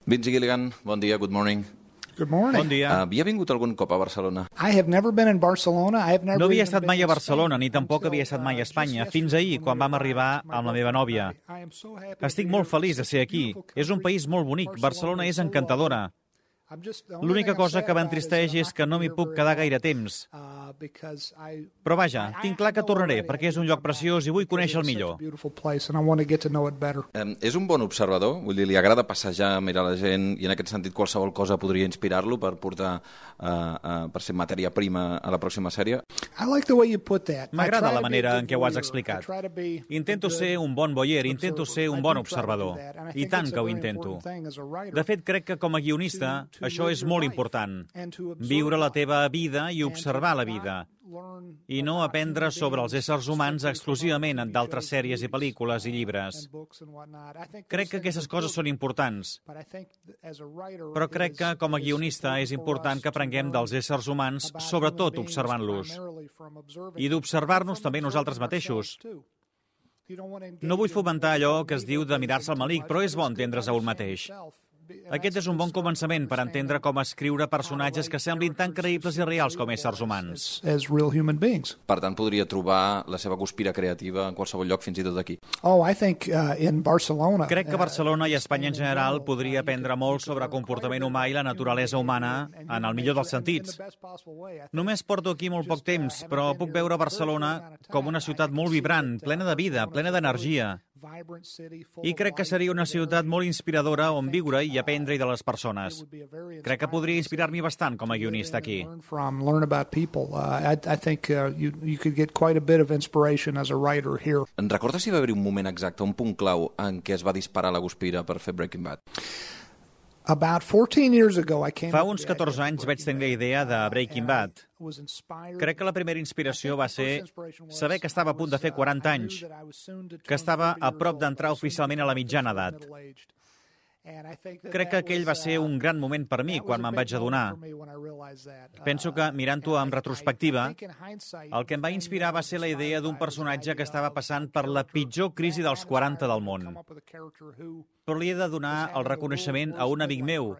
Vince Gilligan, bon dia, good morning. Good morning. Bon dia. Havia vingut algun cop a Barcelona? I have never been in Barcelona. I have never No havia even estat been mai a in Barcelona, Spain ni tampoc havia estat mai a Espanya, fins ahir, quan vam arribar amb la meva nòvia. Estic molt feliç de ser aquí. És un país molt bonic. Barcelona és encantadora. L'única cosa que m'entristeix és que no m'hi puc quedar gaire temps. Però vaja, tinc clar que tornaré, perquè és un lloc preciós i vull conèixer-el millor. És un bon observador? Vull dir, li agrada passejar, mirar la gent, i en aquest sentit qualsevol cosa podria inspirar-lo per portar, per ser matèria prima a la pròxima sèrie? M'agrada la manera en què ho has explicat. Intento ser un bon voyer, intento ser un bon observador. I tant que ho intento. De fet, crec que com a guionista això és molt important. Viure la teva vida i observar la vida. I no aprendre sobre els éssers humans exclusivament d'altres sèries i pel·lícules i llibres. Crec que aquestes coses són importants. Però crec que com a guionista és important que aprenguem dels éssers humans, sobretot observant-los. I d'observar-nos també nosaltres mateixos. No vull fomentar allò que es diu de mirar-se al melic, però és bo entendre's a un mateix. Aquest és un bon començament per entendre com escriure personatges que semblin tan creïbles i reals com éssers humans. Per tant, podria trobar la seva guspira creativa en qualsevol lloc, fins i tot aquí. Crec que Barcelona i Espanya en general podria aprendre molt sobre comportament humà i la naturalesa humana en el millor dels sentits. Només porto aquí molt poc temps, però puc veure Barcelona com una ciutat molt vibrant, plena de vida, plena d'energia. I crec que seria una ciutat molt inspiradora on viure i aprendre de les persones. Crec que podria inspirar-m'hi bastant com a guionista aquí. En recordes si va haver un moment exacte, un punt clau en què es va disparar la guspira per fer Breaking Bad? Fa uns 14 anys vaig tenir la idea de Breaking Bad. Crec que la primera inspiració va ser saber que estava a punt de fer 40 anys, que estava a prop d'entrar oficialment a la mitjana edat. Crec que aquell va ser un gran moment per mi quan me'n vaig adonar. Penso que, mirant-ho en retrospectiva, el que em va inspirar va ser la idea d'un personatge que estava passant per la pitjor crisi dels 40 del món. Però li he de donar el reconeixement a un amic meu,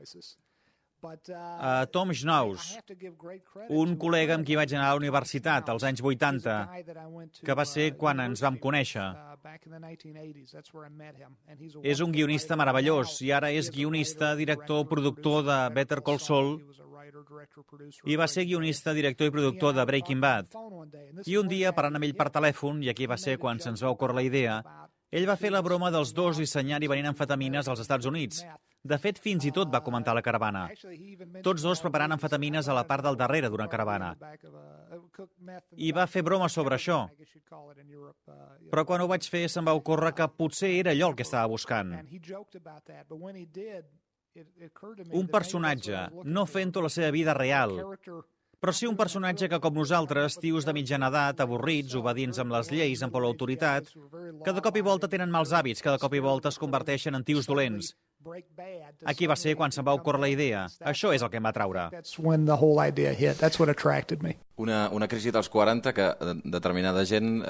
a Tom Schnauz, un col·lega amb qui vaig anar a la universitat als anys 80, que va ser quan ens vam conèixer. És un guionista meravellós i ara és guionista, director, productor de Better Call Saul i va ser guionista, director i productor de Breaking Bad. I un dia, parlant amb ell per telèfon, i aquí va ser quan se'ns va ocórrer la idea, ell va fer la broma dels dos dissenyant i venint amfetamines als Estats Units. De fet, fins i tot va comentar la caravana. Tots dos preparant amfetamines a la part del darrere d'una caravana. I va fer broma sobre això. Però quan ho vaig fer se'm va ocórrer que potser era allò el que estava buscant. Un personatge, no fent-ho la seva vida real, però sí un personatge que, com nosaltres, tios de mitjana edat, avorrits, obedients amb les lleis, amb por l'autoritat, que de cop i volta tenen mals hàbits, que de cop i volta es converteixen en tios dolents. Aquí va ser quan se'm va ocórrer la idea. Això és el que em va atraure. Una crisi dels 40 que determinada gent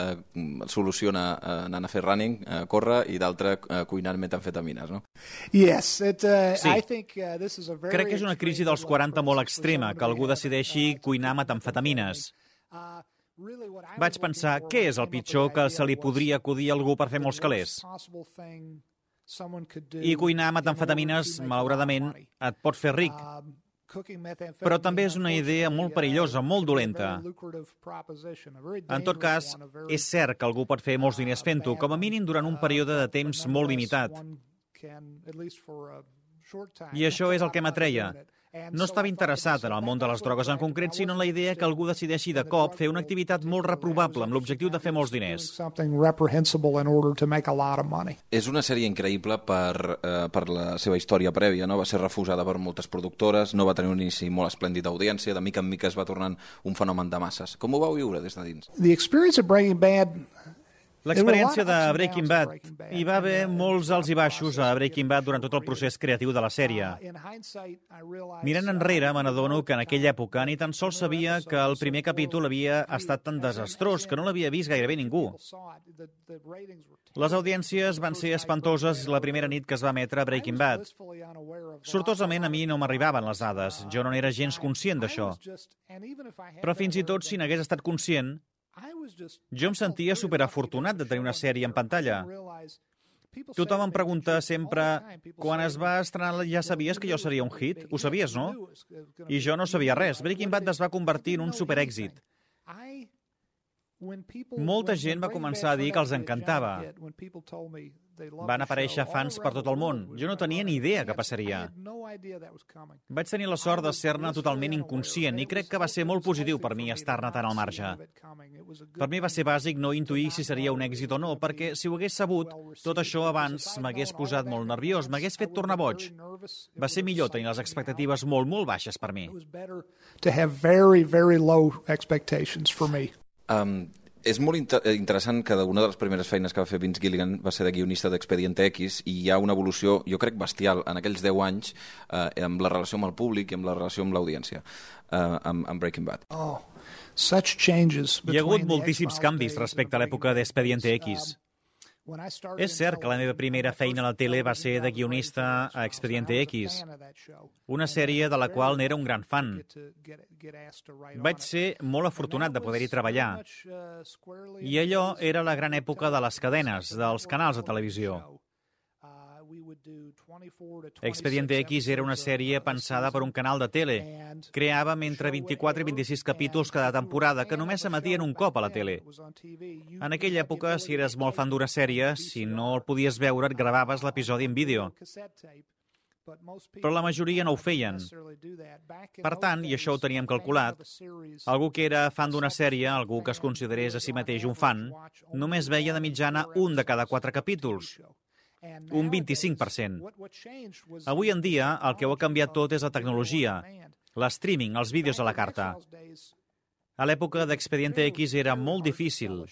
soluciona anant a fer running, córrer, i d'altra cuinant metamfetamines, no? Sí. Crec que és una crisi dels 40 molt extrema, que algú decideixi cuinar metamfetamines. Vaig pensar, què és el pitjor que se li podria acudir a algú per fer molts calés? I cuinar metamfetamines, malauradament, et pot fer ric. Però també és una idea molt perillosa, molt dolenta. En tot cas, és cert que algú pot fer molts diners fent-ho, com a mínim durant un període de temps molt limitat. I això és el que m'atreia. No estava interessat en el món de les drogues en concret, sinó en la idea que algú decideixi de cop fer una activitat molt reprovable amb l'objectiu de fer molts diners. És una sèrie increïble per la seva història prèvia, no? Va ser refusada per moltes productores, no va tenir un inici molt esplèndid d'audiència, de mica en mica es va tornant un fenomen de masses. Com ho vau viure des de dins? The experience of Breaking Bad L'experiència de Breaking Bad. Hi va haver molts alts i baixos a Breaking Bad durant tot el procés creatiu de la sèrie. Mirant enrere, me n'adono que en aquella època ni tan sols sabia que el primer capítol havia estat tan desastrós que no l'havia vist gairebé ningú. Les audiències van ser espantoses la primera nit que es va emetre Breaking Bad. Sortosament, a mi no m'arribaven les dades. Jo no n'era gens conscient d'això. Però fins i tot si n'hagués estat conscient, jo em sentia superafortunat de tenir una sèrie en pantalla. Tothom em pregunta sempre, quan es va estrenar ja sabies que jo seria un hit? Ho sabies, no? I jo no sabia res. Breaking Bad es va convertir en un superèxit. Molta gent va començar a dir que els encantava. Van aparèixer fans per tot el món. Jo no tenia ni idea què passaria. Vaig tenir la sort de ser-ne totalment inconscient i crec que va ser molt positiu per mi estar-ne tan al marge. Per mi va ser bàsic no intuir si seria un èxit o no, perquè si ho hagués sabut, tot això abans m'hagués posat molt nerviós, m'hagués fet tornar boig. Va ser millor tenir les expectatives molt, molt baixes per mi. És molt interessant que una de les primeres feines que va fer Vince Gilligan va ser de guionista d'Expediente X i hi ha una evolució, jo crec, bestial en aquells 10 anys amb la relació amb el públic i amb la relació amb l'audiència, amb Breaking Bad. Hi ha hagut moltíssims canvis respecte a l'època d'Expediente X. És cert que la meva primera feina a la tele va ser de guionista a Expediente X, una sèrie de la qual n'era un gran fan. Vaig ser molt afortunat de poder-hi treballar. I allò era la gran època de les cadenes, dels canals de televisió. Expediente X era una sèrie pensada per un canal de tele. Creàvem entre 24 i 26 capítols cada temporada, que només s'emetien un cop a la tele. En aquella època, si eres molt fan d'una sèrie, si no el podies veure, et gravaves l'episodi en vídeo. Però la majoria no ho feien. Per tant, i això ho teníem calculat, algú que era fan d'una sèrie, algú que es considerés a si mateix un fan, només veia de mitjana un de cada 4 capítols. Un 25%. Avui en dia, el que ho ha canviat tot és la tecnologia, l'streaming, els vídeos a la carta. A l'època d'Expediente X era molt difícil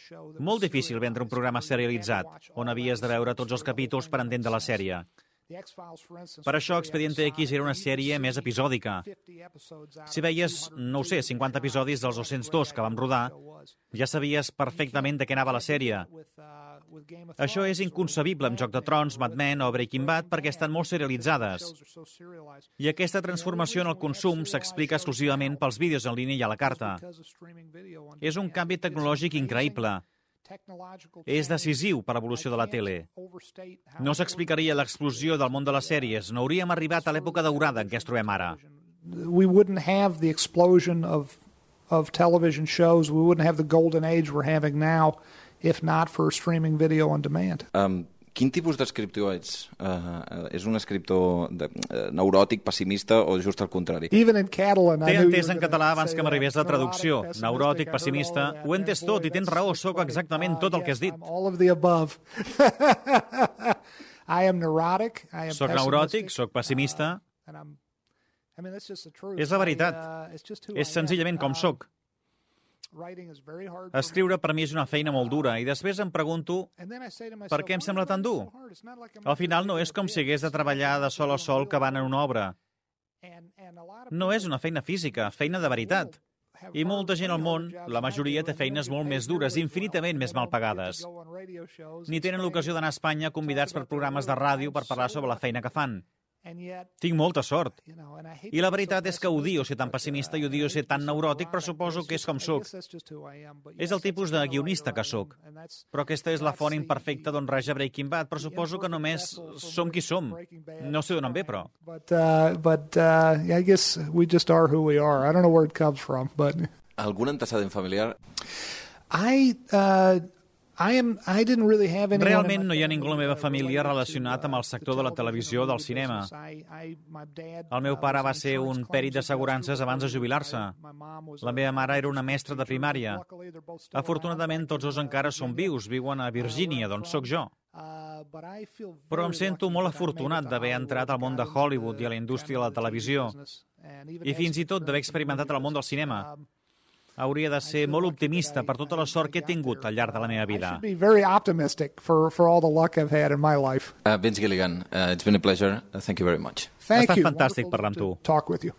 vendre un programa serialitzat, on havies de veure tots els capítols per entendre la sèrie. Per això, Expediente X era una sèrie més episòdica. Si veies, no ho sé, 50 episodis dels 202 que vam rodar, ja sabies perfectament de què anava la sèrie. Això és inconcebible amb Joc de Trons, Mad Men o Breaking Bad perquè estan molt serialitzades. I aquesta transformació en el consum s'explica exclusivament pels vídeos en línia i a la carta. És un canvi tecnològic increïble. És decisiu per l'evolució de la tele. No s'explicaria l'explosió del món de les sèries, no hauríem arribat a l'època daurada en què es trobem ara. We wouldn't have the explosion of television shows, we wouldn't have the golden age we're having now if not for streaming video on demand. Quin tipus d'escriptor ets? És un escriptor neuròtic, pessimista o just al contrari? T'he entès en català abans que m'arribés la traducció. Neuròtic, pessimista... Ho he entès tot i tens raó, sóc exactament tot el que has dit. Soc neuròtic, soc pessimista... És la veritat. És senzillament com soc. Escriure per mi és una feina molt dura i després em pregunto per què em sembla tan dur. Al final no és com si hagués de treballar de sol a sol cavant en una obra. No és una feina física, feina de veritat. I molta gent al món, la majoria té feines molt més dures, infinitament més mal pagades. Ni tenen l'ocasió d'anar a Espanya convidats per programes de ràdio per parlar sobre la feina que fan. Tinc molta sort. I la veritat és que odio ser tan pessimista i odio ser tan neuròtic, però suposo que és com soc. És el tipus de guionista que soc. Però aquesta és la font imperfecta d'on raja Breaking Bad, però suposo que només som qui som. No sé d'on em ve, però. I guess we just are who we are. I don't know where it comes from, but... Algun antecedent familiar? Realment no hi ha ningú a la meva família relacionat amb el sector de la televisió o del cinema. El meu pare va ser un pèrit d'assegurances abans de jubilar-se. La meva mare era una mestra de primària. Afortunadament, tots dos encara són vius, viuen a Virgínia, d'on sóc jo. Però em sento molt afortunat d'haver entrat al món de Hollywood i a la indústria de la televisió, i fins i tot d'haver experimentat el món del cinema. Hauria de ser molt optimista per tota la sort que he tingut al llarg de la meva vida. I should be very optimistic for all the luck I've had in my life. Vince Gilligan, it's been a pleasure. Thank you very much. Ha estat fantàstic parlar amb tu. Talk with you.